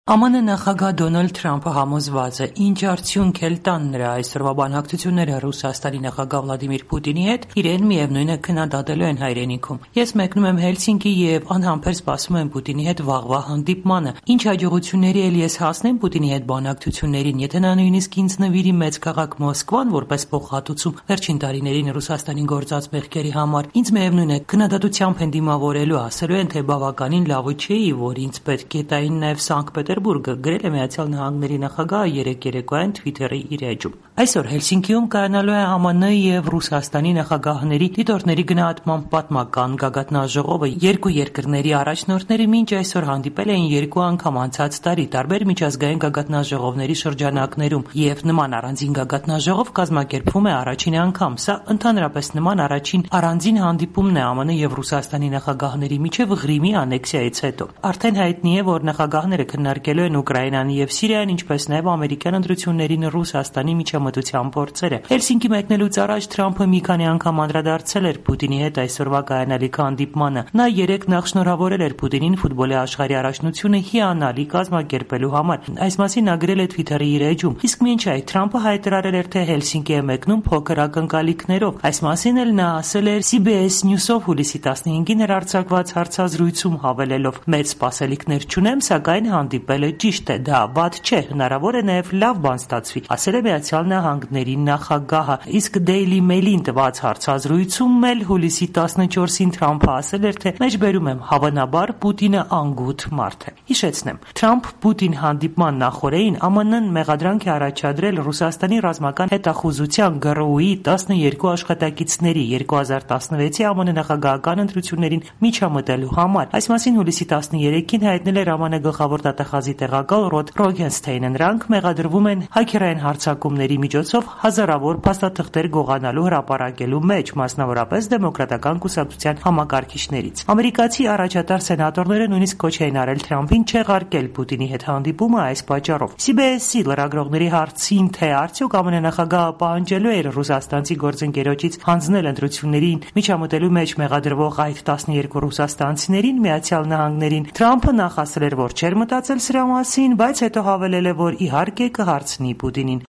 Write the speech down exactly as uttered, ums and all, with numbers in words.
Է Մ Ն նախագահ Դոնալդ Թրամփը համոզված է, ինչ արդյունք էլ տան նրա այսօրվա բանակցությունները Ռուսաստանի նախագահ Վլադիմիր Պուտինի հետ, իրեն միևնույն է քննադատելու են հայրենիքում։ Ես մեկնում եմ Հելսինկի եւ անհամբեր սպասում եմ Պուտինի հետ վաղվա հանդիպմանը։ Ինչ հաջողությունների էլ ես հասնեմ Պուտինի հետ բանակցություններին, եթե նա նույնիսկ ինձ նվիրի մեծ քաղաք Մոսկվան որպես փոխհատուցում վերջին տարիներին Ռուսաստանին գործած մեղքերի համար, ինձ միևնույն է քննադատությամբ են դիմավորելու, ասելու են, թե բավականին լավը չէի, որ ինձ պետք է տային նաեւ Սանկտ Պետերբուրգը, գրել է Միացյալ Նահանգների նախագահը երեկ երեկոյան Թվիթերի իր էջում։ Այսօր Հելսինկիում կայանալու է Ա Մ Ն եւ Ռուսաստանի նախագահների դիտորդների գնահատման պատմական գագաթնաժողովը։ Երկու երկրների առաջնորդները մինչ այսօր հանդիպել էին երկու անգամ անցած տարի տարբեր միջազգային գագաթնաժողովների շրջանակներում, եւ նման առանձին գագաթնաժողով կազմակերպվում է առաջին անգամ։ Սա ընդհանրապես նման առաջին առանձին հանդիպումն է Ա Մ Ն եւ Ռուսաստանի նախագահների միջև Ղրիմի անեքսիայից հետո։ Արդեն հայտնի է, որ նախագահները քննարկելու են Ուկրաինան եւ Սիրիան, ինչպես նաեւ ամերիկյան ընտրություններին Ռուսաստանի միջամտության փորձերը։ Հելսինկի մեկնելուց առաջ Թրամփը մի քանի անգամ անդրադարձել էր Պուտինի հետ այսօրվա կայանալիք հանդիպմանը։ Նա երեկ նախշնորհավորել էր Պուտինին ֆուտբոլի աշխարհի առաջնությունը հիանալի կազմակերպելու համար։ Այս մասին նա գրել է Թվիթերի իր էջում։ Իսկ մինչ այդ Թրամփը հայտարարել էր, թե Հելսինկի է մեկնում փոքր ակնկալիքներով։ Այս մասին էլ նա ասել էր C B S News-ով հուլիսի տասնհինգին հեռարձակված հարցազրույցում, հավելելով. «Մեծ սպասելիքներ չունեմ, սակայն հանդիպելը ճիշտ է, դա վատ չէ, հնարավոր է նաև լավ բան ստացվի», ասել է Միացյալ Նահանգների նախագահը։ Իսկ Daily Mail-ին տված հարցազրույցում էլ հուլիսի տասնչորսին Թրամփը ասել էր, թե մեջբերում եմ, հավանաբար Պուտինը անգութ մարդ է։ Հիշեցնեմ, Թրամփ-Պուտին հանդիպման նախօրեին Ա Մ Ն մեղադրանք է առաջադրել Ռուսաստանի ռազմական հետախուզության Գ R U-ի տասներկու աշխատակիցների երկու հազար տասնվեցի Ա Մ Ն նախագահական ընտրություններին միջամտելու համար։ Այս մասին հուլիսի տասներեքին հայտնել էր Ա Մ Ն գլխավոր դատախազի տեղակալ Ռոդ Ռոգենստեյնը։ Նրանք մեղադրվում են հաքերային հարձակումների միջոցով հազարավոր փաստաթղթեր գողանալու հրապարակելու մեջ, մասնավորապես դեմոկրատական կուսակցության համակարգիչներից։ Ամերիկացի առաջատար սենատորները նույնիսկ կոչ էին արել Թրամփին չեղարկել Պուտինի հետ հանդիպումը այս պատճառով։ C B S-ի լրագրողների հարցին, թե արդյոք Ա Մ Ն նախագահը պահանջելու էր ռուսաստանցի գործընկերոջից հանձնել ընտրություններին միջամտելու մեջ մեղադրվող այդ տասներկու ռուսաստանցիներին, Միացյալ Նահանգներին, Թրամփը նախ ասել էր, որ չէր մտածել սրա մասին, բայց հետո հավելել է, որ իհարկե կհարցնի Պուտինին։